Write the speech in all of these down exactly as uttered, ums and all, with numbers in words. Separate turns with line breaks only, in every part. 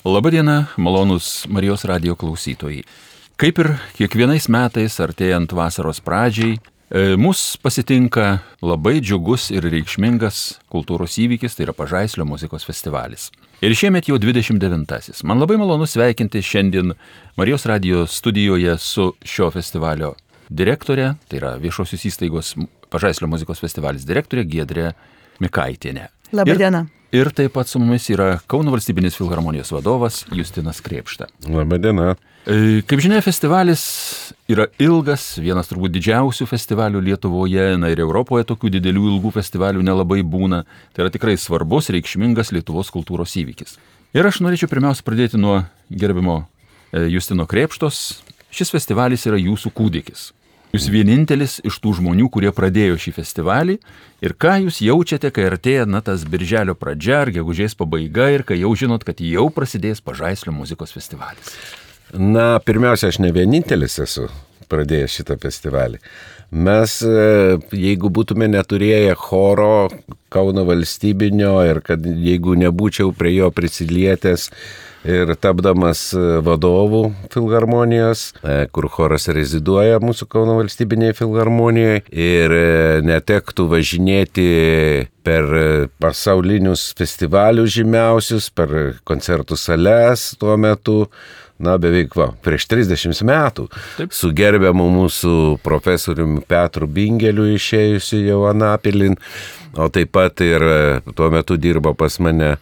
Labadiena, malonūs Marijos radijo klausytojai. Kaip ir kiekvienais metais, artėjant vasaros pradžiai, mus pasitinka labai džiugus ir reikšmingas kultūros įvykis, tai yra Pažaislio muzikos festivalis. Ir šiemet jau dvidešimt devintasis. Man labai malonu sveikinti šiandien Marijos radijo studijoje su šio festivalio direktorė, tai yra viešosios įstaigos Pažaislio muzikos festivalis direktorė Giedrė Mikaitienė.
Labadiena.
Ir, ir taip pat su mumis yra Kauno valstybinės filharmonijos vadovas Justinas Krėpšta.
Labadiena.
Kaip žinia, festivalis yra ilgas, vienas turbūt didžiausių festivalių Lietuvoje, na ir Europoje tokių didelių ilgų festivalių nelabai būna. Tai yra tikrai svarbus, reikšmingas Lietuvos kultūros įvykis. Ir aš norėčiau pirmiausia pradėti nuo gerbimo Justino Krėpštos. Šis festivalis yra jūsų kūdikis. Jūs vienintelis iš tų žmonių, kurie pradėjo šį festivalį. Ir ką jūs jaučiate, kai artėja na, tas birželio pradžia ar gegužės pabaiga ir kai jau žinot, kad jau prasidės Pažaislio muzikos festivalis?
Na, pirmiausia, aš ne vienintelis esu pradėjęs šitą festivalį. Mes, jeigu būtume neturėję choro Kauno valstybinio ir kad jeigu nebūčiau prie jo prisilietęs ir tapdamas vadovų filharmonijos, kur choras reziduoja mūsų Kauno valstybinėje filharmonijoje ir netektų važinėti per pasaulinius festivalius žymiausius, per koncertų sales tuo metu, na beveik va, prieš trisdešimt metų. Taip. Su gerbiamu mūsų profesoriumi Petru Bingeliu išėjusiu jau Anapilin, o taip pat ir tuo metu dirbo pas mane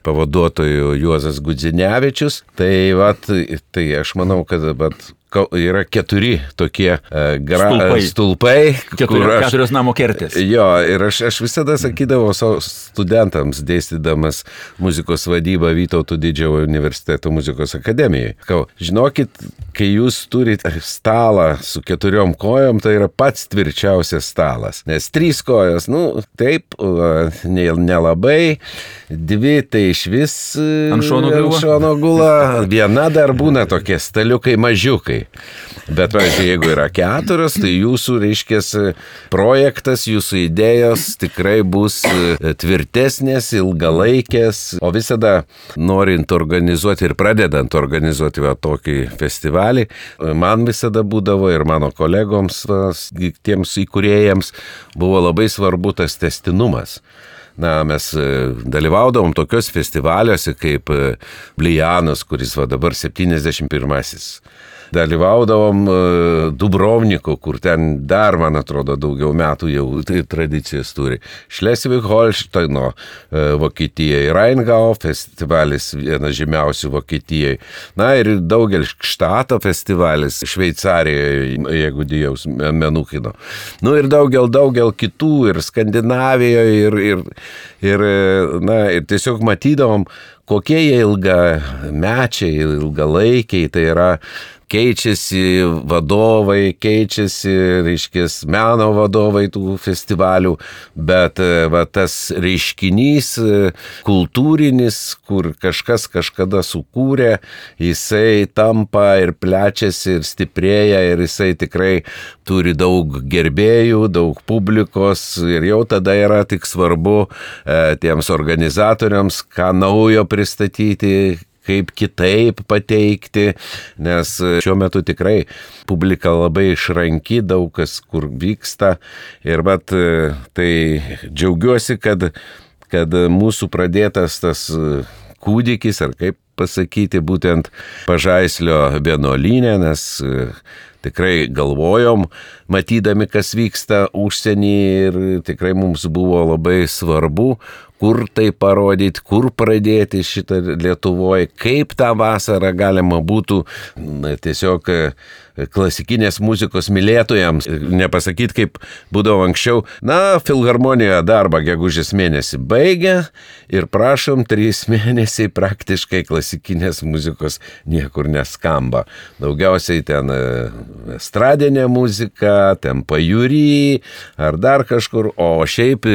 pavaduotojų Juozas Gudzinevičius. Tai, vat, tai aš manau, kad vat, yra keturi tokie uh, gra, stulpai,
stulpai Keturi, aš, keturios namo kertės.
Jo, ir aš, aš visada sakydavau savo studentams, dėstydamas muzikos vadybą Vytauto Didžiojo universiteto muzikos akademijoje. Kau, žinokit, kai jūs turite stalą su keturiom kojom, tai yra pats tvirčiausias stalas. Nes trys kojos, nu, taip, nelabai, dvi tai iš vis
ant šono,
ant šono gula, viena dar būna tokie staliukai mažiukai. Bet, pavyzdžiui, jeigu yra keturios, tai jūsų, reiškia, projektas, jūsų idėjos tikrai bus tvirtesnės, ilgalaikės, o visada norint organizuoti ir pradedant organizuoti va, tokį festivalį, man visada būdavo ir mano kolegoms, tiems įkūrėjams, buvo labai svarbu tas tęstinumas. Na, mes dalyvaudavom tokios festivaliuose kaip Blijanas, kuris va dabar septyniasdešimt pirmasis. Dalyvaudavom Dubrovniku, kur ten dar, man atrodo, daugiau metų jau tai tradicijas turi. Šlesvig-Holšteino Vokietijoje, Rheingau festivalis, vienas žymiausių Vokietijoje. Na ir daugelis Štato festivalis Šveicarijoje, jeigu dijaus Menukino. Nu ir daugel, daugel kitų ir Skandinavijoje ir, ir, ir, na, ir tiesiog matydavom, kokie jie ilgamečiai, ilgalaikiai, tai yra keičiasi vadovai, keičiasi, reiškės, meno vadovai tų festivalių, bet va, tas reiškinys kultūrinis, kur kažkas kažkada sukūrė, jisai tampa ir plečiasi ir stiprėja ir jisai tikrai turi daug gerbėjų, daug publikos ir jau tada yra tik svarbu e, tiems organizatoriams, ką naujo pristatyti, kaip kitaip pateikti, nes šiuo metu tikrai publika labai išranki, daug kas kur vyksta ir bet tai džiaugiuosi, kad, kad mūsų pradėtas tas kūdikis, ar kaip pasakyti, būtent Pažaislio vienuolyne, nes tikrai galvojom, matydami, kas vyksta užsienį ir tikrai mums buvo labai svarbu, kur tai parodyti, kur pradėti šitą Lietuvoje, kaip tą vasarą galima būtų na, tiesiog klasikinės muzikos mylėtojams, nepasakyti, kaip būdavo anksčiau, na, filharmonijoje darbą gegužės mėnesį baigia ir prašom, trys mėnesiai praktiškai klasikinės muzikos niekur neskamba. Daugiausiai ten estradinė muzika, ten pajūry ar dar kažkur, o šiaip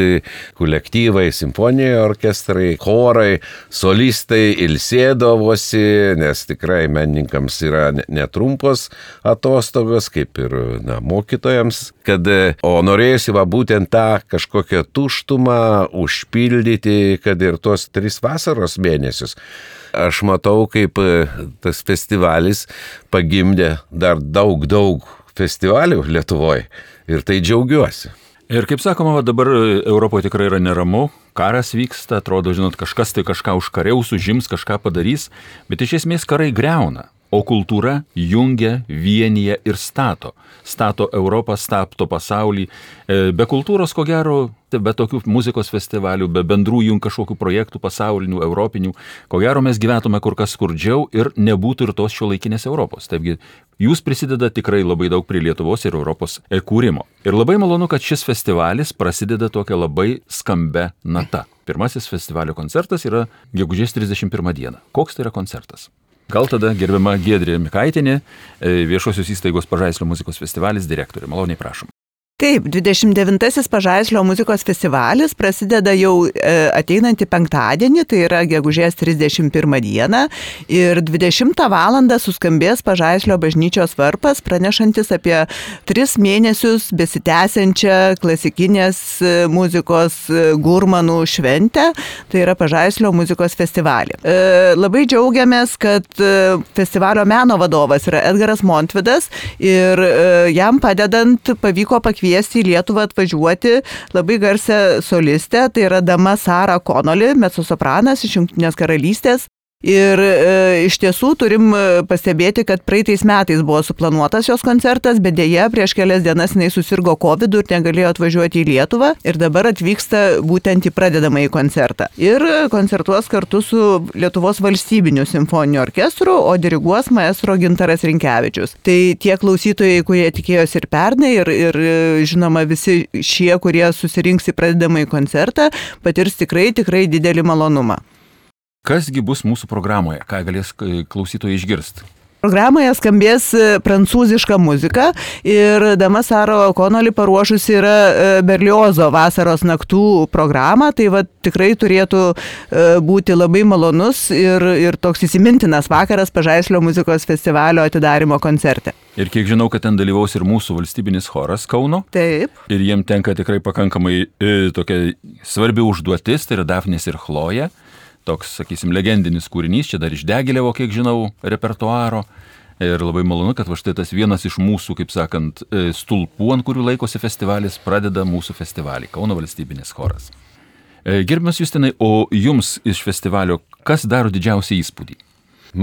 kolektyvai, simfoniniai orkestrai, chorai, solistai ilsėdavosi, nes tikrai menininkams yra netrumpos atostogos, kaip ir na, mokytojams, kad, o norėjusi va būtent tą kažkokią tuštumą užpildyti, kad ir tos tris vasaros mėnesius. aš matau, kaip tas festivalis pagimdė dar daug, daug festivalių Lietuvoje ir tai džiaugiuosi.
Ir kaip sakoma, dabar Europoje tikrai yra neramu, karas vyksta, atrodo, žinot, kažkas tai kažką užkariaus, užims, kažką padarys, bet iš esmės karai greuna, o kultūra jungia, vienyje ir stato. Stato Europą, stato pasaulį. Be kultūros, ko gero, be tokių muzikos festivalių, be bendrų jung kažkokių projektų pasaulinių, europinių, ko gero mes gyventume kur kas skurdžiau ir nebūtų ir tos šiuolaikinės Europos. Taigi, jūs prisideda tikrai labai daug prie Lietuvos ir Europos kūrimo. Ir labai malonu, kad šis festivalis prasideda tokia labai skambia nata. Pirmasis festivalio koncertas yra gegužės trisdešimt pirmą dieną. Koks tai yra koncertas? Gal tada gerbiama Giedrė Mikaitienė, Viešosios įstaigos Pažaislio muzikos festivalis direktorė. Maloniai prašom.
Taip, dvidešimt devintasis Pažaislio muzikos festivalis prasideda jau ateinantį penktadienį, tai yra gegužės trisdešimt pirmą dieną ir dvidešimtą valandą suskambės Pažaislio bažnyčios varpas, pranešantis apie tris mėnesius besitęsiančią klasikinės muzikos gurmanų šventę, tai yra Pažaislio muzikos festivalį. Labai džiaugiamės, kad festivalio meno vadovas yra Edgaras Montvidas ir jam padedant pavyko pakviesti kviesti į Lietuvą atvažiuoti labai garsią solistę, tai yra dama Sara Connolly, mecosopranas iš Jungtinės karalystės. Ir e, iš tiesų turim pastebėti, kad praeitais metais buvo suplanuotas jos koncertas, bet dėja prieš kelias dienas jinai susirgo kovidu ir negalėjo atvažiuoti į Lietuvą ir dabar atvyksta būtent į pradedamąjį koncertą. Ir koncertuos kartu su Lietuvos valstybiniu simfoniniu orkestru, o diriguos maestro Gintaras Rinkevičius. Tai tie klausytojai, kurie tikėjosi ir pernai, ir, ir žinoma visi šie, kurie susirinks į pradedamąjį koncertą, patirs tikrai, tikrai didelį malonumą.
Kasgi bus mūsų programoje, ką galės klausytojai išgirsti?
Programoje skambės prancūziška muzika ir dama Sara Connolly paruošusi yra Berliozo vasaros naktų programą, tai va tikrai turėtų būti labai malonus ir, ir toks įsimintinas vakaras Pažaislio muzikos festivalio atidarymo koncerte.
Ir kiek žinau, kad ten dalyvaus ir mūsų valstybinis choras Kauno.
Taip.
Ir jiem tenka tikrai pakankamai e, tokia svarbi užduotis, tai yra Dafnis ir Chloja. Toks, sakysim, legendinis kūrinys, čia dar iš Degilevo, kiek žinau, repertuaro. Ir labai malonu, kad va štai tas vienas iš mūsų, kaip sakant, stulpų, ant kurių laikosi festivalis, pradeda mūsų festivalį, Kauno valstybinis choras. Gerbiamas Justinai, o jums iš festivalio kas daro didžiausią įspūdį?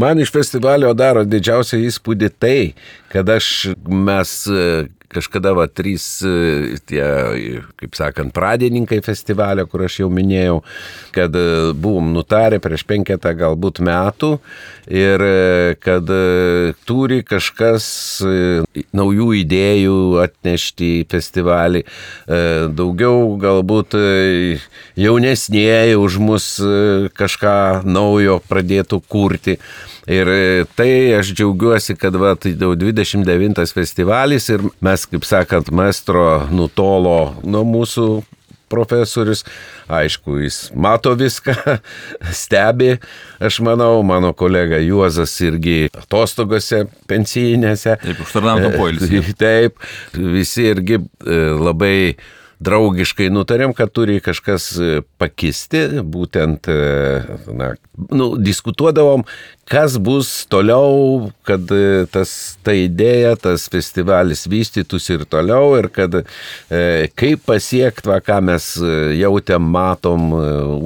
Man iš festivalio daro didžiausią įspūdį tai, kad aš mes kažkada va trys tie, kaip sakant, pradininkai festivalio, kur aš jau minėjau, kad buvom nutarę prieš penketą galbūt metų ir kad turi kažkas naujų idėjų atnešti į festivalį, daugiau galbūt jaunesnieji už mus kažką naujo pradėtų kurti. Ir tai aš džiaugiuosi, kad va, tai jau dvidešimt devintas festivalis ir mes, kaip sakant, maestro nutolo nuo mūsų profesorius. Aišku, jis mato viską, stebi, aš manau, mano kolega Juozas irgi atostogose pensijinėse.
Taip, užtarnauto poilsį.
Taip, visi irgi labai draugiškai nutarėm, kad turi kažkas pakisti, būtent, na, nu, diskutuodavom, kas bus toliau, kad tas, ta idėja, tas festivalis vystytųsi ir toliau ir kad e, kaip pasiekti, va, ką mes jautėm, matom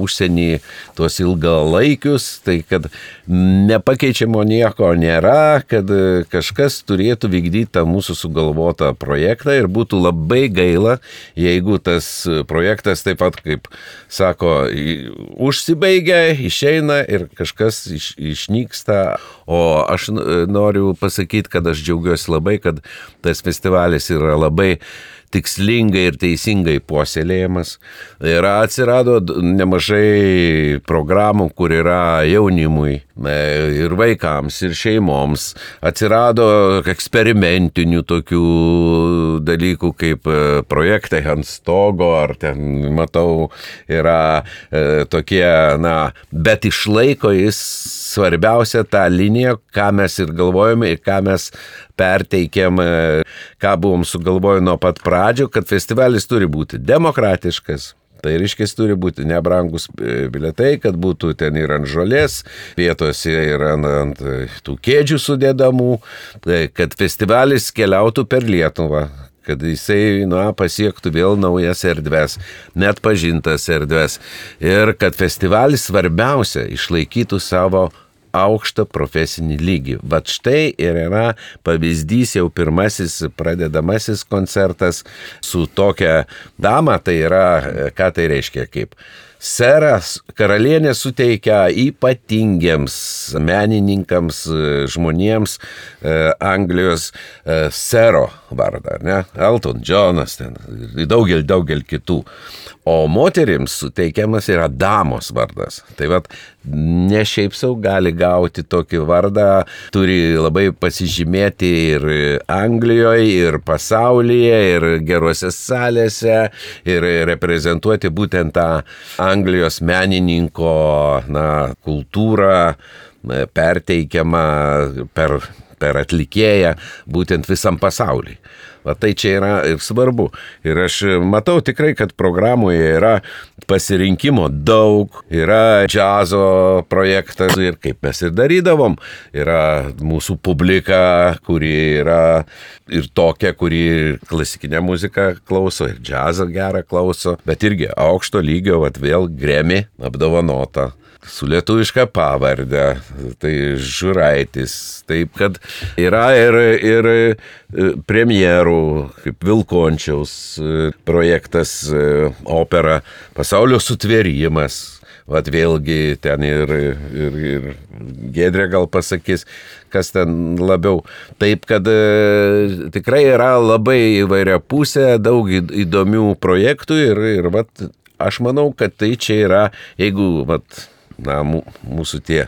užsienį tuos ilgalaikius, tai kad nepakeičiamo nieko nėra, kad kažkas turėtų vykdyti tą mūsų sugalvotą projektą ir būtų labai gaila, jeigu tas projektas taip pat, kaip sako, užsibaigia, išeina ir kažkas iš, išnyks. O aš noriu pasakyti, kad aš džiaugiuosi labai, kad tas festivalis yra labai tikslingai ir teisingai puoselėjamas. Ir atsirado nemažai programų, kur yra jaunimui ir vaikams, ir šeimoms. Atsirado eksperimentinių tokių dalykų kaip projektai ant stogo, ar ten, matau, yra e, tokie, na, bet išlaiko jis svarbiausia tą liniją, ką mes ir galvojame ir ką mes perteikėm, ką buvom sugalvoję nuo pat pradžių, kad festivalis turi būti demokratiškas, Tai reiškia, turi būti nebrangus bilietai, kad būtų ten ir ant žolės, vietose ir ant, ant tų kėdžių sudėdamų, kad festivalis keliautų per Lietuvą, kad jisai na, pasiektų vėl naujas erdves, net pažintas erdves. Ir kad festivalis svarbiausia išlaikytų savo aukštą profesinį lygį. Vat štai ir yra pavyzdys jau pirmasis pradedamasis koncertas su tokia dama, tai yra, ką tai reiškia, kaip seras karalienė suteikia ypatingiems menininkams, žmonėms Anglijos sero vardą, ne? Elton Johnas, ten, daugel, daugel kitų. O moterims suteikiamas yra damos vardas. Tai vat, ne šiaip sau gali gauti tokį vardą, turi labai pasižymėti ir Anglijoje, ir pasaulyje, ir gerose salėse, ir reprezentuoti būtent tą Anglijos menininko na, kultūrą, perteikiamą per, per atlikėją būtent visam pasauliui. Va tai čia yra ir svarbu. Ir aš matau tikrai, kad programoje yra pasirinkimo daug, yra džiazo projektas ir kaip mes ir darydavom, yra mūsų publika, kuri yra ir tokia, kuri klasikinę muziką klauso, ir džiazą gerą klauso, bet irgi aukšto lygio, vat vėl Grammy apdovanota. Su lietuviška pavardė, tai Žuraitis, taip kad yra ir, ir premjerų, kaip Vilkončiaus projektas, opera Pasaulio sutvėrimas, vat vėlgi ten ir, ir, ir Giedrė gal pasakys, kas ten labiau. Taip kad e, tikrai yra labai įvairia pusė, daug įdomių projektų ir, ir vat, aš manau, kad tai čia yra, jeigu vat, na, mūsų tie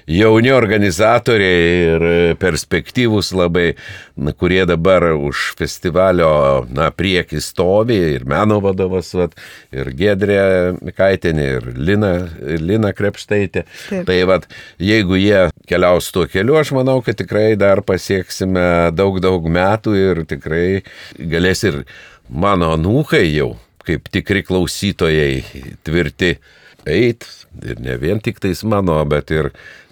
jauni organizatoriai ir perspektyvūs labai, na, kurie dabar už festivalio na, priekį stovi, ir meno vadovas, vat, ir Giedrė Mikaitienė, ir Lina, ir Lina Krepštaitė. Taip. Tai vat, jeigu jie keliaus tuo keliu, aš manau, kad tikrai dar pasieksime daug, daug metų ir tikrai galės ir mano anūkai jau, kaip tikri klausytojai tvirti, eit, ir ne vien tik tais mano, bet ir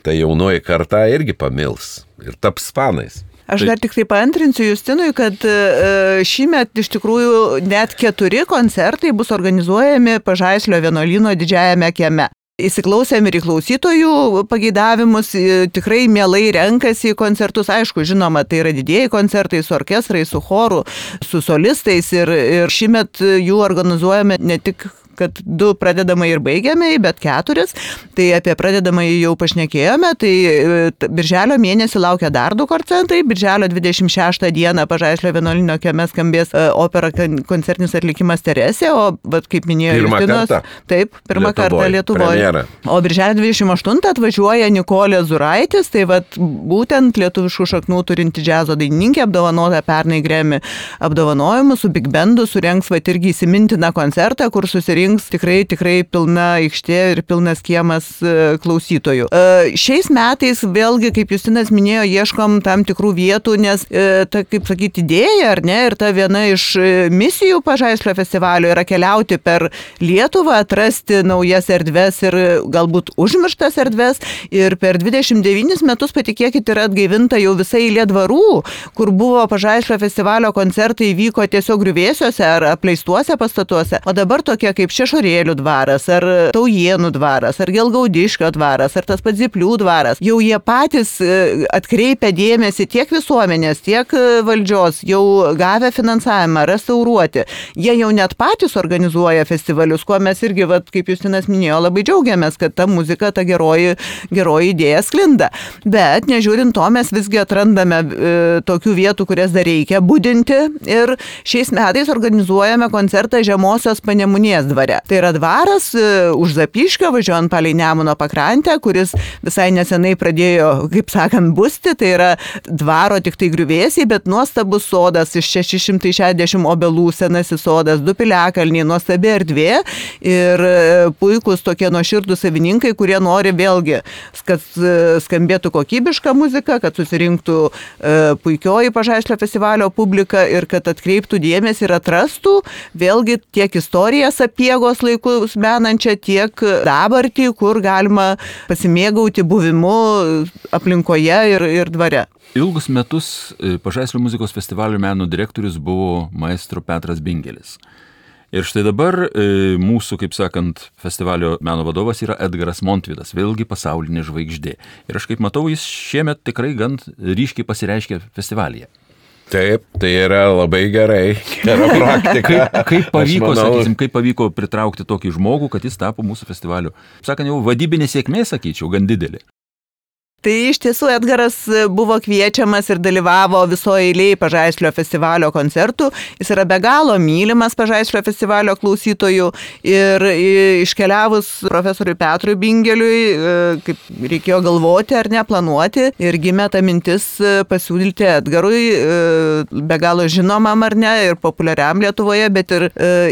ta jaunoji karta irgi pamils ir taps fanais.
Aš dar tik tai paantrinsiu Justinui, kad šįmet iš tikrųjų net keturi koncertai bus organizuojami Pažaislio vienuolyno didžiajame kieme. Įsiklausėm ir į klausytojų pageidavimus, tikrai mielai renkasi į koncertus, aišku, žinoma, tai yra didieji koncertai su orkestrai, su choru, su solistais ir, ir šįmet jų organizuojame ne tik kad du pradedamai ir baigiamai, bet keturis. Tai apie pradedamai jau pašnekėjome, tai birželio mėnesį laukia dar du koncertai. Birželio dvidešimt šeštą dieną Pažaislio vienuolyno kieme skambės opera koncertinis atlikimas Teresė, o vat, kaip minėjo Justinos, taip, pirmą Lietuvoj, kartą Lietuvoje. Premjera. O birželio dvidešimt aštuntą atvažiuoja Nikolė Zuraitis, tai vat, būtent lietuviškų šaknų turinti džiazo dainininkė, apdovanota pernai Grammy apdovanojimu, su Big Bandu surengs vat, irgi įsimintiną koncertą, kur susirinks tikrai, tikrai pilna aikštė ir pilnas kiemas klausytojų. Šiais metais vėlgi, kaip Justinas minėjo, ieškom tam tikrų vietų, nes ta, kaip sakyti, idėja, ar ne, ir ta viena iš misijų Pažaislio festivalio yra keliauti per Lietuvą, atrasti naujas erdves ir galbūt užmirštas erdves. Ir per dvidešimt devynis metus, patikėkit, yra atgaivinta jau visai eilė dvarų, kur buvo Pažaislio festivalio koncertai vyko tiesiog griuvėsiuose ar apleistuose pastatuose. O dabar tokie kaip Šešorėlių dvaras, ar Taujienų dvaras, ar Gelgaudiškio dvaras, ar tas pats Zyplių dvaras. Jau jie patys atkreipia dėmesį tiek visuomenės, tiek valdžios, jau gavę finansavimą restauruoti. Jie jau net patys organizuoja festivalius, kuo mes irgi, vat, kaip Justinas minėjo, labai džiaugiamės, kad ta muzika, ta geroji, geroji idėja sklinda. Bet nežiūrint to, mes visgi atrandame e, tokių vietų, kurias dar reikia budinti. Ir šiais metais organizuojame koncertą Žemosios Panemunės dvare. Tai yra dvaras už Zapyškio, važiuojant palei Nemuno pakrantę, kuris visai nesenai pradėjo, kaip sakant, busti. Tai yra dvaro tik tai griuvėsiai, bet nuostabus sodas iš šeši šimtai šešiasdešimt obelų, senasis sodas, du piliakalniai, nuostabi erdvė ir puikus tokie nuoširdūs savininkai, kurie nori vėlgi, kad skambėtų kokybiška muzika, kad susirinktų puikioji Pažaislio festivalio publika ir kad atkreiptų dėmesį ir atrastų vėlgi tiek istorijas apie jėgos laikus menančią, tiek dabartį, kur galima pasimėgauti buvimu aplinkoje ir, ir dvare.
Ilgus metus Pažaislio muzikos festivalio meno direktorius buvo maestro Petras Bingelis. Ir štai dabar e, mūsų, kaip sakant, festivalio meno vadovas yra Edgaras Montvidas, vėlgi pasaulinė žvaigždė. Ir aš kaip matau, jis šiemet tikrai gan ryškiai pasireiškia festivalyje.
Taip, tai yra labai gerai, gera praktika.
Kaip, kaip, pavyko,
manau...
sakysim, kaip pavyko pritraukti tokį žmogų, kad jis tapo mūsų festivalio, sakant, jau vadybinė sėkmė, sakyčiau, gan didelė.
Tai iš tiesų Edgaras buvo kviečiamas ir dalyvavo visoje eilėje Pažaislio festivalio koncertų. Jis yra be galo mylimas Pažaislio festivalio klausytojų ir iškeliavus profesoriui Petrui Bingeliui, kaip reikėjo galvoti ar neplanuoti, ir gimė ta mintis pasiūlyti Edgarui, be galo žinomam ar ne, ir populiariam Lietuvoje, bet ir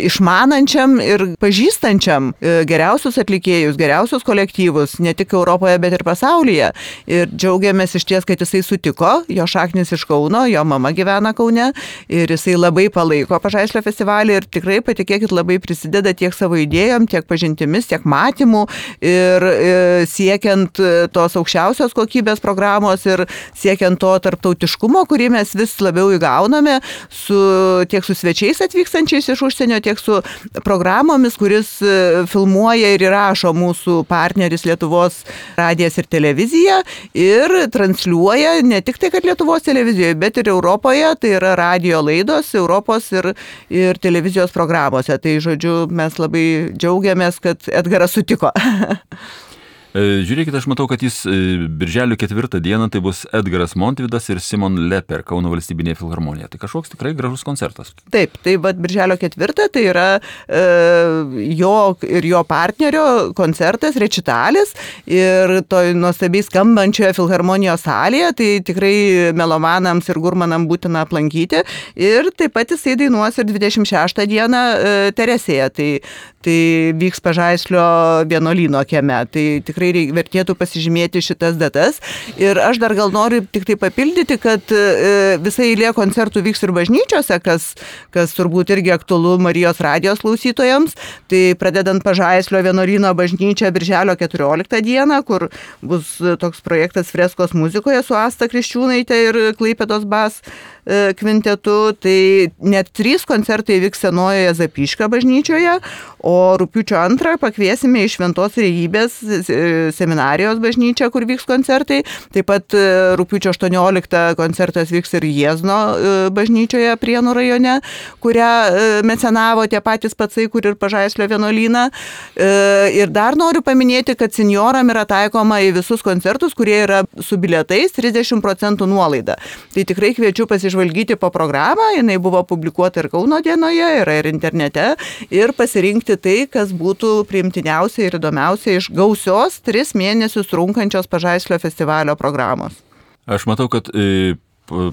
išmanančiam ir pažįstančiam geriausius atlikėjus, geriausius kolektyvus, ne tik Europoje, bet ir pasaulyje. Ir džiaugiamės iš ties, kad jisai sutiko, jo šaknis iš Kauno, jo mama gyvena Kaune ir jisai labai palaiko Pažaislio festivalį ir tikrai, patikėkit, labai prisideda tiek savo idėjom, tiek pažintimis, tiek matymų ir siekiant tos aukščiausios kokybės programos ir siekiant to tarptautiškumo, kurį mes vis labiau įgauname, su, tiek su svečiais atvykstančiais iš užsienio, tiek su programomis, kuris filmuoja ir įrašo mūsų partneris Lietuvos radijas ir televizija. Ir transliuoja ne tik tai, kad Lietuvos televizijoje, bet ir Europoje, tai yra radijo laidos Europos ir, ir televizijos programuose. Tai, žodžiu, mes labai džiaugiamės, kad Edgaras sutiko.
Žiūrėkite, aš matau, kad jis birželio ketvirtą dieną tai bus Edgaras Montvidas ir Simon Leper, Kauno valstybinėje filharmonija. Tai kažkoks tikrai gražus koncertas.
Taip, tai vat birželio ketvirtą tai yra e, jo ir jo partnerio koncertas, rečitalis ir toj nuostabiai skambančioje filharmonijos salėje, tai tikrai melomanams ir gurmanam būtina aplankyti. Ir taip pat jisai dainuos ir dvidešimt šeštą dieną e, Teresėje, tai, tai vyks Pažaislio vienuolyno kieme. Tai tikrai tikrai vertėtų pasižymėti šitas datas. Ir aš dar gal noriu tik tai papildyti, kad visa eilė koncertų vyks ir bažnyčiose, kas, kas turbūt irgi aktualu Marijos radijos klausytojams. Tai pradedant Pažaislio vienuolyno bažnyčią birželio keturioliktą dieną, kur bus toks projektas freskos muzikoje su Asta Kriščiūnaitė ir Klaipėdos bas kvintetu, tai net trys koncertai vyks Senojoje Zapyškio bažnyčioje, o rugpjūčio antrą pakviesime į Šventos Trejybės seminarijos bažnyčią, kur vyks koncertai. Taip pat rugpjūčio aštuonioliktą koncertas vyks ir Jiezno bažnyčioje Prienų rajone, kurią mecenavo tie patys pacai, kur ir Pažaislio vienuolyną. Ir dar noriu paminėti, kad senjoram yra taikoma į visus koncertus, kurie yra su bilietais trisdešimt procentų nuolaida. Tai tikrai kviečiu pasižvalgyti po programą, jinai buvo publikuota ir Kauno dienoje, yra ir internete, ir pasirinkti tai, kas būtų priimtiniausia ir įdomiausia iš gausios tris mėnesius trunkančios Pažaislio festivalio programos.
Aš matau, kad e,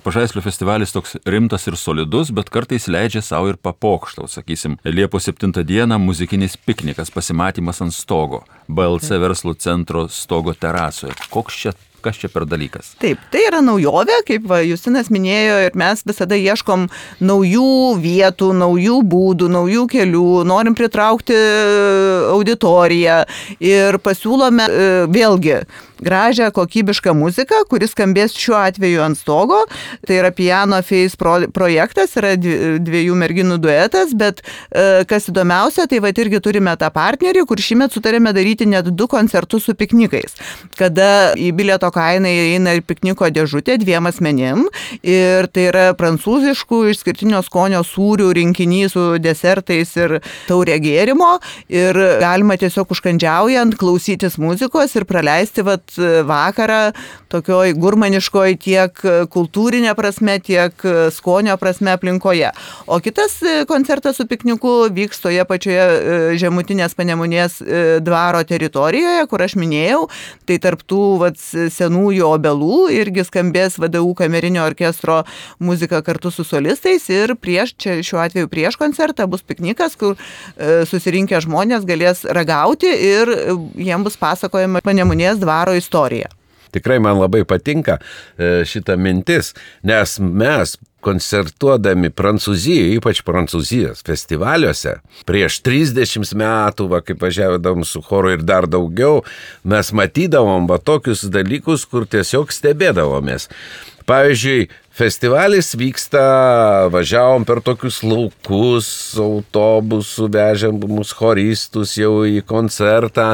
Pažaislio festivalis toks rimtas ir solidus, bet kartais leidžia savo ir papokštau, sakysim, Liepos septintą dieną muzikinis piknikas, pasimatymas ant stogo, B L C verslo centro stogo terasoje. Koks čia Kas čia per dalykas?
Taip, tai yra naujovė, kaip va, Justinas minėjo, ir mes visada ieškom naujų vietų, naujų būdų, naujų kelių, norim pritraukti auditoriją ir pasiūlome vėlgi gražią, kokybišką muziką, kuris skambės šiuo atveju ant stogo. Tai yra Piano Face pro, projektas, yra dviejų merginų duetas, bet kas įdomiausia, tai va irgi turime tą partnerį, kur šįmet sutarėme daryti net du koncertus su piknikais, kada į bilieto kainą įeina ir pikniko dėžutė dviem asmenim, ir tai yra prancūziškų išskirtinio skonio sūrių rinkinys su desertais ir taurė gėrimo, ir galima tiesiog užkandžiaujant klausytis muzikos ir praleisti vat vakarą tokioj gurmaniškoj tiek kultūrinė prasme, tiek skonio prasme aplinkoje. O kitas koncertas su pikniku vyks toje pačioje Žemutinės Panemunės dvaro teritorijoje, kur aš minėjau, tai tarptų vat, senųjų obelų irgi skambės V D U kamerinio orkestro muzika kartu su solistais, ir prieš, čia šiuo atveju prieš koncertą bus piknikas, kur susirinkę žmonės galės ragauti ir jiems bus pasakojama Panemunės dvaro istorija.
tikrai man labai patinka šita mintis, nes mes koncertuodami Prancūzijoje, ypač Prancūzijos festivaliuose, prieš trisdešimt metų, va, kaip važiavom su choru ir dar daugiau, mes matydavom va, tokius dalykus, kur tiesiog stebėdavomės. Pavyzdžiui, festivalis vyksta, važiavom per tokius laukus, autobusų, vežėm mus choristus jau į koncertą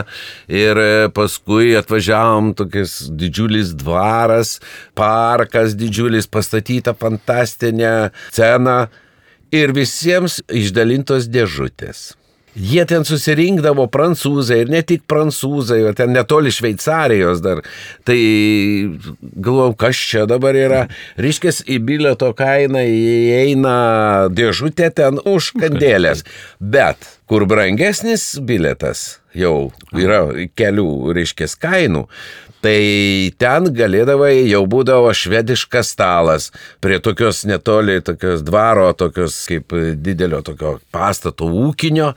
ir paskui atvažiavom tokias didžiulis dvaras, parkas didžiulis, pastatyta fantastinė scena ir visiems išdalintos dėžutės. Jie ten susirinkdavo prancūzai ir ne tik prancūzai, o ten netoli Šveicarijos dar. Tai galvojau, kas čia dabar yra. Reiškės, į bilieto kainą įeina dėžutė ten už kandėlės. Bet kur brangesnis bilietas jau yra kelių, reiškės, kainų, tai ten galėdavai, jau būdavo švediškas stalas prie tokios netoli, tokios dvaro, tokios kaip didelio tokio pastato ūkinio,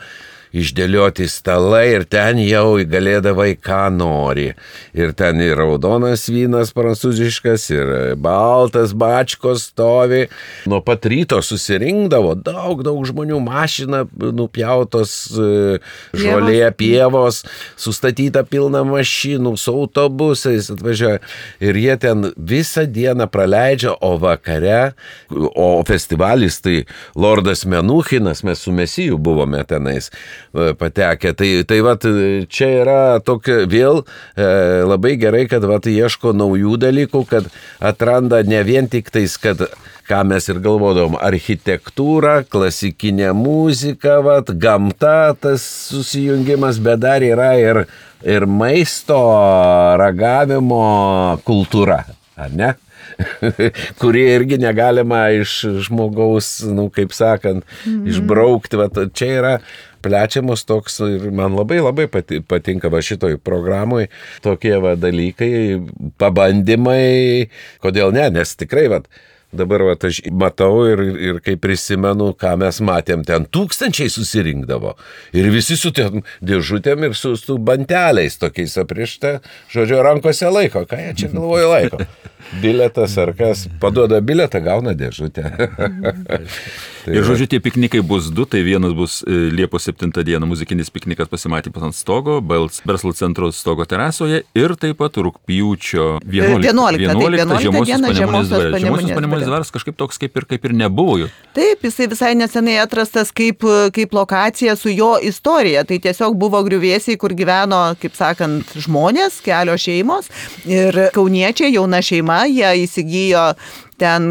išdėlioti stalai ir ten jau galėdavai ką nori. Ir ten ir raudonas vynas prancūziškas, ir baltas bačkos stovi. Nuo pat ryto susirinkdavo daug, daug žmonių, mašina nupjautos žolė pievos, sustatyta pilna mašinų, su autobusais atvažiuoja. Ir jie ten visą dieną praleidžia, o vakare, o festivalis tai Lordas Menuchinas, mes su Mesiju buvome tenais patekę. Tai, tai vat, čia yra tokia vėl e, labai gerai, kad vat, ieško naujų dalykų, kad atranda ne vien tik tais, kad ką mes ir galvodom, architektūra, klasikinė muzika, vat, gamta, tas susijungimas, bet dar yra ir, ir maisto ragavimo kultūra, ar ne? Kuri irgi negalima iš žmogaus, nu, kaip sakant, mm-hmm. išbraukti. Va, čia yra plečiamas toks ir man labai labai patinka va šitoj programui tokie va dalykai, pabandymai, kodėl ne, nes tikrai va, dabar va, aš matau ir, ir kai prisimenu, ką mes matėm, ten tūkstančiai susirinkdavo ir visi su ten dėžutėm ir su, su banteliais tokiais aprišta, žodžiu, rankose laiko, ką jie čia galvoja laiko. Biletas ar kas, paduoda biletą, gauna dėžutę.
Ir žodžiu, tie piknikai bus du, tai vienas bus Liepos septintą dieną muzikinis piknikas pasimatymas ant stogo, verslo centro stogo terasoje ir taip pat rugpjūčio vienuoliktą Žemosios Panemunės dvaras kažkaip toks kaip ir, kaip ir nebuvo jų.
Taip, jisai visai nesenai atrastas kaip, kaip lokacija su jo istorija. Tai tiesiog buvo griuvėsiai, kur gyveno, kaip sakant, žmonės, kelios šeimos ir kauniečiai, jauna šeima, jie įsigijo ten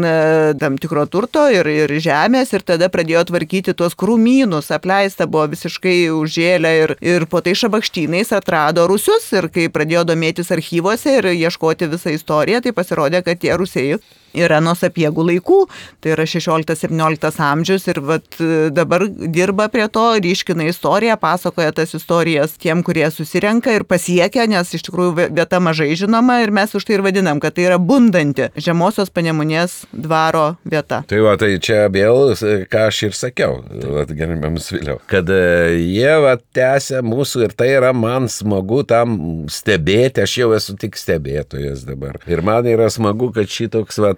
tam tikro turto ir, ir žemės ir tada pradėjo tvarkyti tuos krūmynus, apleista buvo visiškai užžėlę ir, ir po tai šabakštynais atrado rusius ir kai pradėjo domėtis archyvuose ir ieškoti visą istoriją, tai pasirodė, kad tie rusiai yra nuo Sapiegų laikų, tai yra šešioliktas septynioliktas amžius ir vat, dabar dirba prie to, ryškina istoriją, pasakoja tas istorijas tiem, kurie susirenka ir pasiekia, nes iš tikrųjų vieta mažai žinoma ir mes už tai ir vadinam, kad tai yra bundanti Žemosios Panemunės dvaro vieta.
Tai va, tai čia vėl, ką aš ir sakiau, gerbiamas Viliau, kad jie va tęsia mūsų ir tai yra man smagu tam stebėti, aš jau esu tik stebėtojas dabar. Ir man yra smagu, kad šitoks va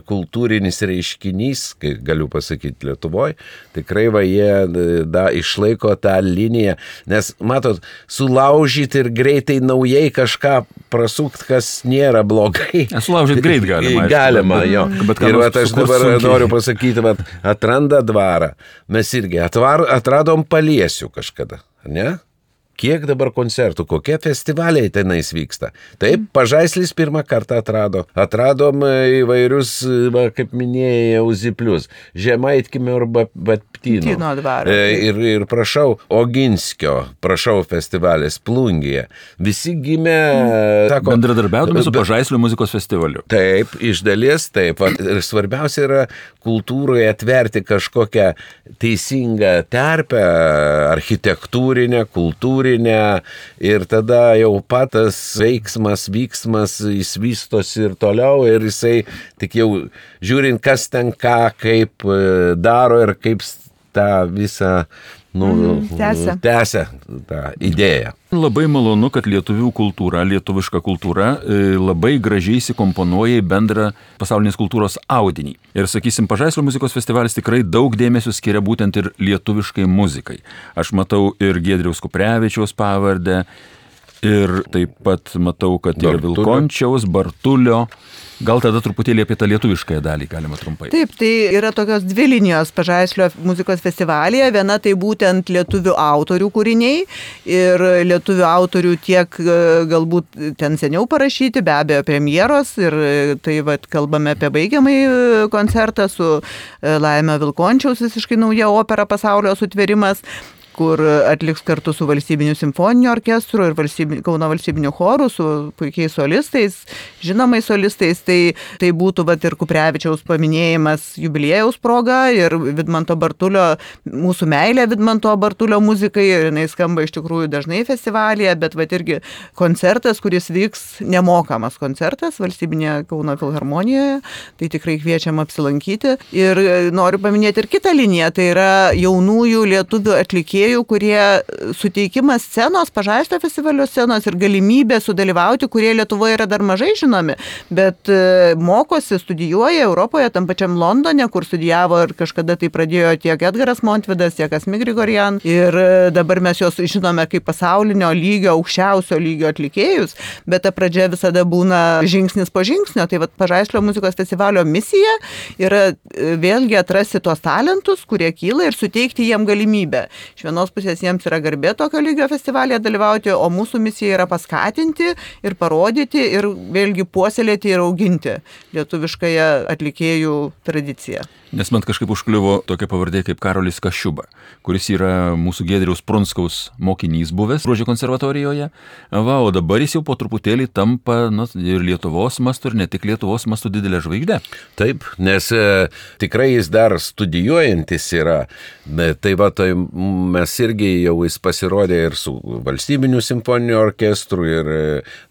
kultūrinis reiškinys, kai galiu pasakyti Lietuvoje, tikrai va jie da, išlaiko tą liniją, nes matot, sulaužyti ir greitai naujai kažką prasukti, kas nėra blogai.
Sulaužyti greit galima.
Galima, jo. Ir va, aš dabar sunkiai. Noriu pasakyti, va, atranda dvarą. Mes irgi atvar, atradom Paliesių kažkada, ne? Kiek dabar koncertų, kokie festivaliai tenais vyksta. Taip, Pažaislis pirmą kartą atrado. Atradom įvairius, va, kaip minėjau, Ziplius, Žemaitkimio ir Baptino. Ir, ir prašau, Oginskio, prašau festivalis Plungėje. Visi gimė... Sako,
bendradarbiaudami su Pažaislio muzikos festivaliu.
Taip, iš dalies taip. Ir svarbiausia yra kultūroje atverti kažkokią teisingą terpę, architektūrinę, kultūrinę, ir tada jau patas veiksmas, vyksmas, jis vystosi ir toliau ir jisai tik jau žiūrint, kas ten ką, kaip daro ir kaip tą visą nu,
Mm, tęsia.
tęsia tą idėją.
Labai malonu, kad lietuvių kultūra, lietuviška kultūra e, labai gražiai įsikomponuoja į bendrą pasaulinės kultūros audinį. Ir, sakysim, Pažaislio muzikos festivalis tikrai daug dėmesio skiria būtent ir lietuviškai muzikai. Aš matau ir Giedriaus Kuprevičiaus pavardę, ir taip pat matau, kad ir
Bartulio.
Vilkončiaus, Bartulio. Gal tada truputėlį apie tą lietuviškąją dalį galima trumpai.
Taip, tai yra tokios dvi linijos Pažaislio muzikos festivalyje. Viena tai būtent lietuvių autorių kūriniai ir lietuvių autorių tiek e, galbūt ten seniau parašyti, be abejo premjeros. Ir e, tai vat, kalbame apie baigiamąjį koncertą su e, Laimio Vilkončiaus visiškai nauja opera Pasaulio sutvėrimas, kur atliks kartu su Valstybiniu simfoniniu orkestru ir valstybiniu, Kauno valstybiniu choru, su puikiais solistais, žinomais solistais. Tai, tai būtų vat, ir Kuprevičiaus paminėjimas jubiliejaus proga ir Vidmanto Bartulio, mūsų meilė Vidmanto Bartulio muzikai. Ir jinai skamba iš tikrųjų dažnai festivalyje, bet vat, irgi koncertas, kuris vyks nemokamas koncertas Valstybinėje Kauno filharmonijoje. Tai tikrai kviečiam apsilankyti. Ir noriu paminėti ir kitą liniją, tai yra jaunųjų lietuvių atlikėjų, kurie suteikimas scenos, Pažaislio festivalio scenos ir galimybė sudalyvauti, kurie Lietuvoje yra dar mažai žinomi, bet mokosi, studijuoja Europoje, tam pačiam Londone, kur studijavo ir kažkada tai pradėjo tiek Edgaras Montvidas, tiek Asmik Grigorian. Ir dabar mes juos žinome kaip pasaulinio lygio, aukščiausio lygio atlikėjus, bet ta pradžia visada būna žingsnis po žingsnio. Tai vat Pažaislio muzikos festivalio misija yra vėlgi atrasti tuos talentus, kurie kyla ir suteikti jiem galimybę. Iš vienos pusės jiems yra garbė tokio lygio festivalėje dalyvauti, o mūsų misija yra paskatinti ir parodyti ir vėlgi puoselėti ir auginti lietuviškąją atlikėjų tradiciją.
Nes man kažkaip užkliuvo tokia pavardė kaip Karolis Kaščiuba, kuris yra mūsų Giedriaus Prunskaus mokinys buvęs Gruožio konservatorijoje. Va, o dabar jis jau po truputėlį tampa na, ir Lietuvos mastu, ir ne tik Lietuvos mastu didelė žvaigždė.
Taip, nes e, tikrai jis dar studijuojantis yra. Tai va, tai mes irgi jau jis pasirodė ir su Valstybiniu simfoniniu orkestru, ir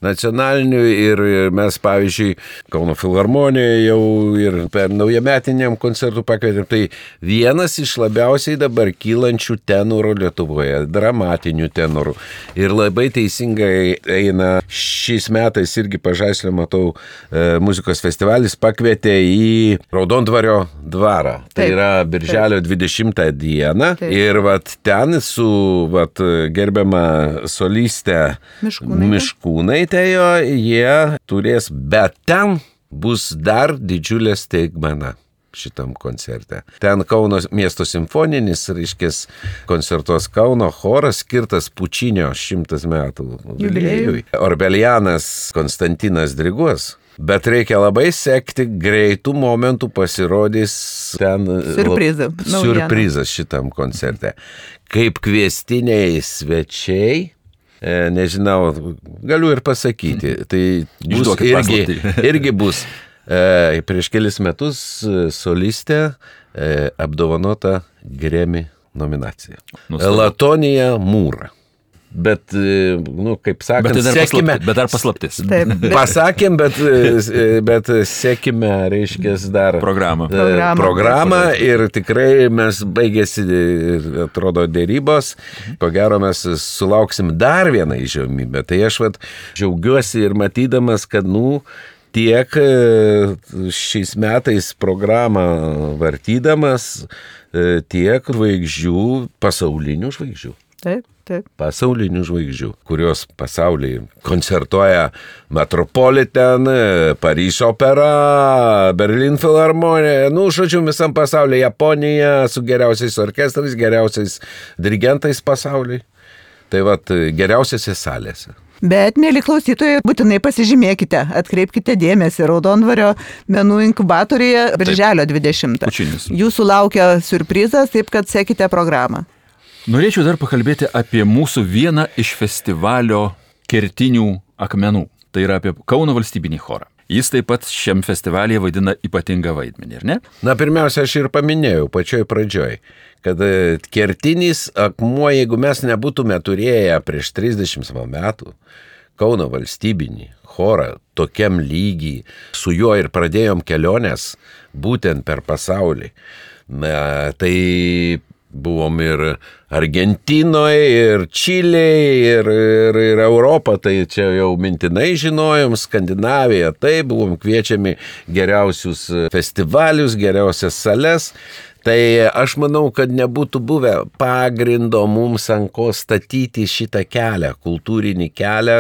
nacionaliniu, ir mes, pavyzdžiui, Kauno filharmonijoje jau ir per naujametiniam koncertui pakvietėm. Tai vienas iš labiausiai dabar kylančių tenorų Lietuvoje, dramatinių tenorų. Ir labai teisingai eina šiais metais irgi Pažaislio, matau, e, muzikos festivalis pakvietė į Raudondvario dvarą. Tai taip, yra birželio taip. dvidešimtą dieną. Taip. Ir vat ten su vat, gerbiama solistė
Miškūnaitė.
Miškūnaitė, jie turės, bet ten bus dar didžiulė staigmena šitam koncerte. Ten Kauno miesto simfoninis, reiškės, koncertuos Kauno choras skirtas Pučinio šimtas metų jubiliejui. Orbelianas Konstantinas diriguos. Bet reikia labai sekti, greitų momentų pasirodys ten
Siurprizą,
siurprizas šitam koncerte. Kaip kviestiniai svečiai, e, nežinau, galiu ir pasakyti, tai bus irgi, irgi bus e, prieš kelis metus solistė e, apdovanota Grammy nominacija.
Nustabu.
Latonija Mūra. Bet, nu, kaip sakant,
bet,
sekime,
bet dar paslaptis.
Taip, bet...
Pasakėm, bet, bet sekime, reiškia, dar
programą.
Programą. programą ir tikrai mes baigėsi, atrodo, dėrybos. Ko gero mes sulauksim dar vieną įžymybę. Tai aš vat džiaugiuosi ir matydamas, kad, nu, tiek šiais metais programą vartydamas, tiek žvaigždžių, pasaulinių žvaigždžių.
Taip, taip.
Pasaulinių žvaigždžių, kurios pasaulyje koncertuoja Metropolitan, Paryžiaus opera, Berlin filharmonija, nu, žodžiu, visam pasaulyje, Japonija su geriausiais orkestrais, geriausiais dirigentais pasaulyje. Tai vat geriausiose salėse.
Bet, mėly klausytojai, būtinai pasižymėkite, atkreipkite dėmesį Raudondvario menų inkubatoriuje birželio dvidešimtą.
Pučinis.
Jūsų laukia siurprizas, taip kad sekite programą.
Norėčiau dar pakalbėti apie mūsų vieną iš festivalio kertinių akmenų. Tai yra apie Kauno valstybinį chorą. Jis taip pat šiam festivalyje vaidina ypatingą vaidmenį, ar ne?
Na, pirmiausia, aš ir paminėjau pačioj pradžioj, kad kertinis akmuo, jeigu mes nebūtume turėję prieš trisdešimt metų Kauno valstybinį chorą tokiam lygiai, su juo ir pradėjom keliones būtent per pasaulį, na, tai buvom ir Argentinoje, ir Čilėje, ir, ir, ir Europą, tai čia jau mintinai žinojom, Skandinaviją, tai buvom kviečiami geriausius festivalius, geriausias sales. Tai aš manau, kad nebūtų buvę pagrindo mums ant ko statyti šitą kelią, kultūrinį kelią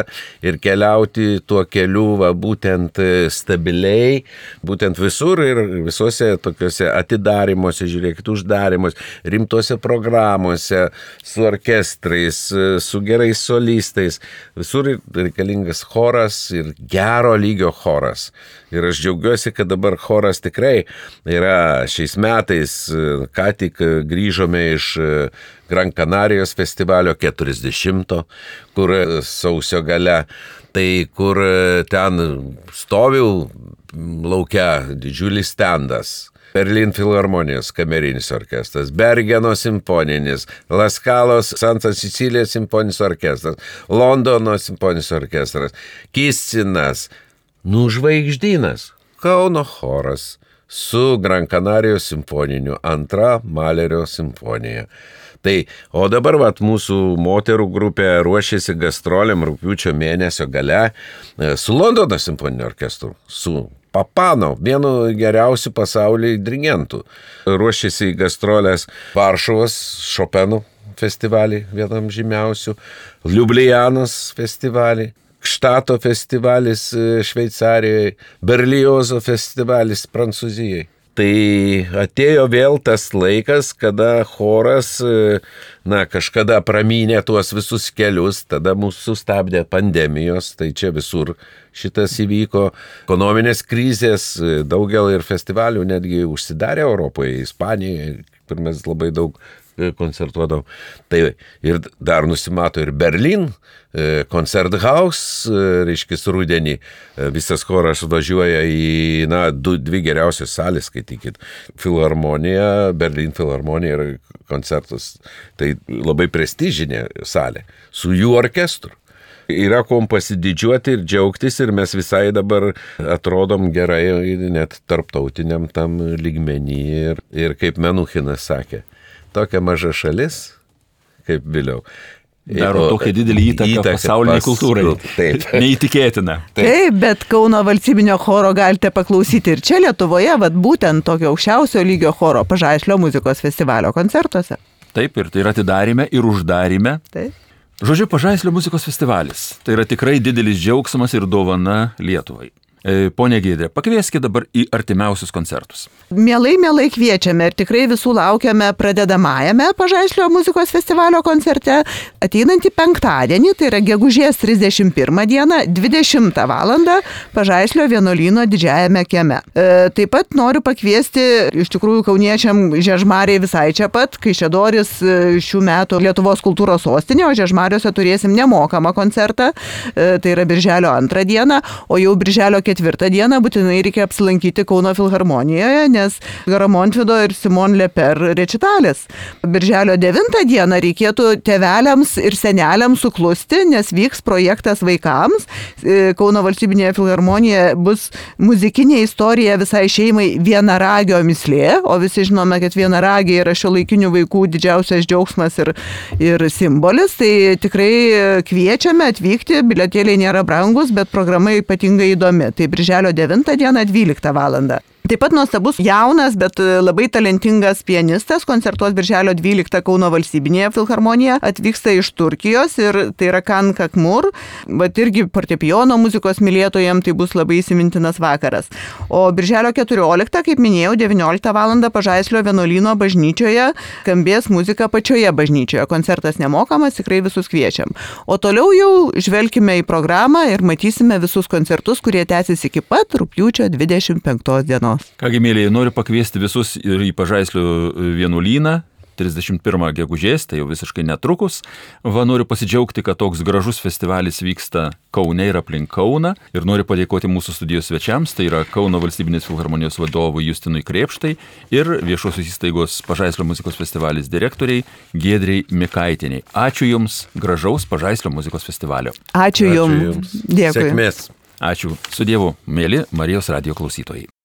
ir keliauti tuo keliu va, būtent stabiliai, būtent visur ir visose tokiuose atidarimuose, žiūrėkit, uždarimuose, rimtose programuose, su orkestrais, su gerais solistais. Visur reikalingas choras ir gero lygio choras. Ir aš džiaugiuosi, kad dabar choras tikrai yra šiais metais, ką tik grįžome iš Gran Canarijos festivalio keturiasdešimto, kur sausio gale, tai kur ten stoviu laukia didžiulis stendas. Berlin Filharmonijos kamerinis orkestras, Bergeno simfoninis, Laskalos Santa Sicilija simfoninis orkestras, Londono simfoninis orkestras, Kissinas, nu žvaigždynas, Kauno choras su Gran Canarijos simfoniniu, antra Malerio simfonija. Tai, o dabar vat, mūsų moterų grupė ruošiasi gastroliam rugpjūčio mėnesio gale su Londono simfoniniu orkestru, su Papano, vienu geriausių pasaulyje dirigentų. Ruošiasi į gastrolės Varšuvos Šopenų festivalį, vienam žymiausių, Liublianos festivalį, Štato festivalis Šveicarijoje, Berliozo festivalis Prancūzijoje. Tai atėjo vėl tas laikas, kada choras, na, kažkada pramynė tuos visus kelius, tada mūsų sustabdė pandemijos, tai čia visur šitas įvyko, ekonominės krizės, daugel ir festivalių netgi užsidarė Europoje, Ispanijoje, kur mes labai daug koncertuodavom. Tai ir dar nusimato ir Berlin, Koncerthaus, reiškia, rudenį visas choras važiuoja į, na, du, dvi geriausios salės, skaitykit, Filharmonija, Berlin Filharmonija ir koncertus. Tai labai prestižinė salė, su jų orkestru. Yra kuom pasididžiuoti ir džiaugtis ir mes visai dabar atrodom gerai, net tarptautiniam tam lygmenį. Ir, ir kaip Menuchinas sakė, tokia maža šalis, kaip vėliau.
Daro tokią didelį įtaką, įtaką pasauliniai kultūrai. Taip. Neįtikėtina.
Taip. Taip, bet Kauno valstybinio choro galite paklausyti ir čia Lietuvoje, vat būtent tokio aukščiausio lygio choro Pažaislio muzikos festivalio koncertuose.
Taip, ir tai yra atidarime ir uždarime.
Taip.
Žodžiu, Pažaislio muzikos festivalis. Tai yra tikrai didelis džiaugsmas ir dovana Lietuvai. Pone Giedrė, pakvieskite dabar į artimiausius koncertus.
Mielai, mielai kviečiame ir tikrai visų laukiame pradedamajame Pažaislio muzikos festivalio koncerte ateinantį penktadienį, tai yra gegužės trisdešimt pirmą dieną, dvidešimtą valandą Pažaislio vienuolyno didžiajame kieme. E, taip pat noriu pakviesti iš tikrųjų kauniečiam Žiežmariai visai čia pat, Kaišiadorys šių metų Lietuvos kultūros sostinė, o Žiežmariuose turėsim nemokamą koncertą, e, tai yra birželio antrą dieną, o jau birželio ketvirtą dieną būtinai reikia apsilankyti Kauno Filharmonijoje, nes Garamontvido ir Simon Leper rečitalis. Birželio devintą dieną reikėtų tėveliams ir seneliams suklusti, nes vyks projektas vaikams. Kauno valstybinėje filharmonijoje bus muzikinė istorija visai šeimai Vienaragio mislė, o visi žinome, kad vienaragiai yra šiuolaikinių vaikų didžiausias džiaugsmas ir, ir simbolis. Tai tikrai kviečiame atvykti, bilietėliai nėra brangus, bet programa ypatingai įdomi. Tai birželio devintą dieną dvyliktą valandą. Taip pat nuostabus jaunas, bet labai talentingas pianistas koncertuos birželio dvyliktą Kauno valstybinėje filharmonijoje, atvyksta iš Turkijos ir tai yra Kan Kakmur, bet irgi fortepijono muzikos mylėtojams tai bus labai įsimintinas vakaras. O birželio keturioliktą, kaip minėjau, devynioliktą valandą Pažaislio vienuolyno bažnyčioje skambės muzika pačioje bažnyčioje. Koncertas nemokamas, tikrai visus kviečiam. O toliau jau žvelkime į programą ir matysime visus koncertus, kurie tęsis iki pat rugpjūčio dvidešimt penktos dienos.
Kągi, mėlyje, noriu pakviesti visus ir į Pažaislio vienuolyną trisdešimt pirmą gegužės, tai jau visiškai netrukus. Va, noriu pasidžiaugti, kad toks gražus festivalis vyksta Kaune ir aplink Kauną. Ir noriu padėkoti mūsų studijos svečiams, tai yra Kauno valstybinės filharmonijos vadovui Justinui Krėpštai ir viešosios įstaigos Pažaislio muzikos festivalis direktoriai Giedrei Mikaitieniai. Ačiū Jums, gražaus Pažaislio muzikos festivalio.
Ačiū Jums.
Dėkui. Sėkmės.
Ačiū. Su Dievu, mėly Marijos radijo klausytojai.